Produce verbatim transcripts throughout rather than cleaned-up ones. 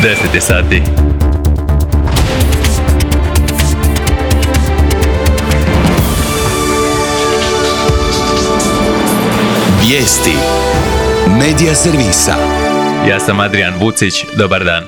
deset je sati. Vijesti Medija servisa. Ja sam Adrian Vucić, dobar dan.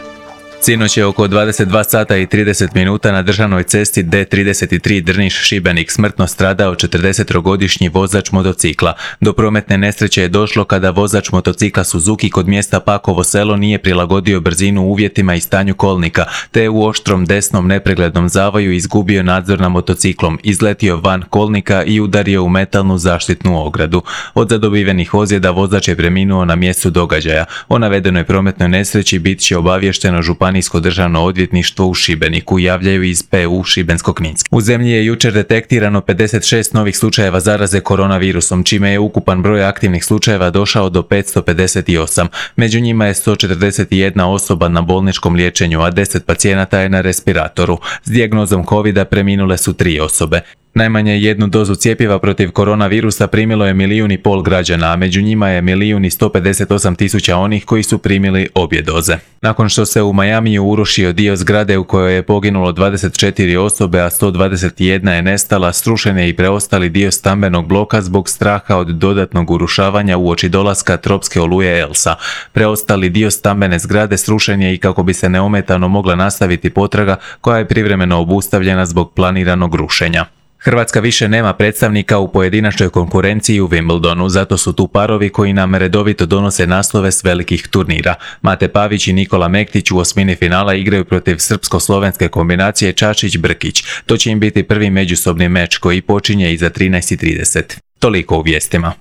Sinoć je oko dvadeset dva sata i trideset minuta na državnoj cesti D trideset tri Drniš-Šibenik smrtno stradao četrdesettrogodišnji vozač motocikla. Do prometne nesreće je došlo kada vozač motocikla Suzuki kod mjesta Pakovo selo nije prilagodio brzinu uvjetima i stanju kolnika, te je u oštrom desnom nepreglednom zavoju izgubio nadzor nad motociklom, izletio van kolnika i udario u metalnu zaštitnu ogradu. Od zadobivenih ozljeda vozač je preminuo na mjestu događaja. O navedenoj prometnoj nesreći bit će obavješteno županijsko državno odvjetništvo u Šibeniku, javljaju iz P U Šibensko-kninske. U zemlji je jučer detektirano pedeset šest novih slučajeva zaraze koronavirusom, čime je ukupan broj aktivnih slučajeva došao do petsto pedeset osam. Među njima je sto četrdeset jedna osoba na bolničkom liječenju, a deset pacijenata je na respiratoru. S dijagnozom kovida preminule su tri osobe. Najmanje jednu dozu cjepiva protiv koronavirusa primilo je milijun i pol građana, a među njima je milijun i sto pedeset osam tisuća onih koji su primili obje doze. Nakon što se u Majamiju urušio dio zgrade u kojoj je poginulo dvadeset četiri osobe, a sto dvadeset jedna je nestala, srušen je i preostali dio stambenog bloka zbog straha od dodatnog urušavanja uoči dolaska tropske oluje Elsa. Preostali dio stambene zgrade srušen je i kako bi se neometano mogla nastaviti potraga koja je privremeno obustavljena zbog planiranog rušenja. Hrvatska više nema predstavnika u pojedinačnoj konkurenciji u Wimbledonu, zato su tu parovi koji nam redovito donose naslove s velikih turnira. Mate Pavić i Nikola Mektić u osmini finala igraju protiv srpsko-slovenske kombinacije Čačić-Brkić. To će im biti prvi međusobni meč koji počinje iza trinaest i trideset. Toliko u vijestima.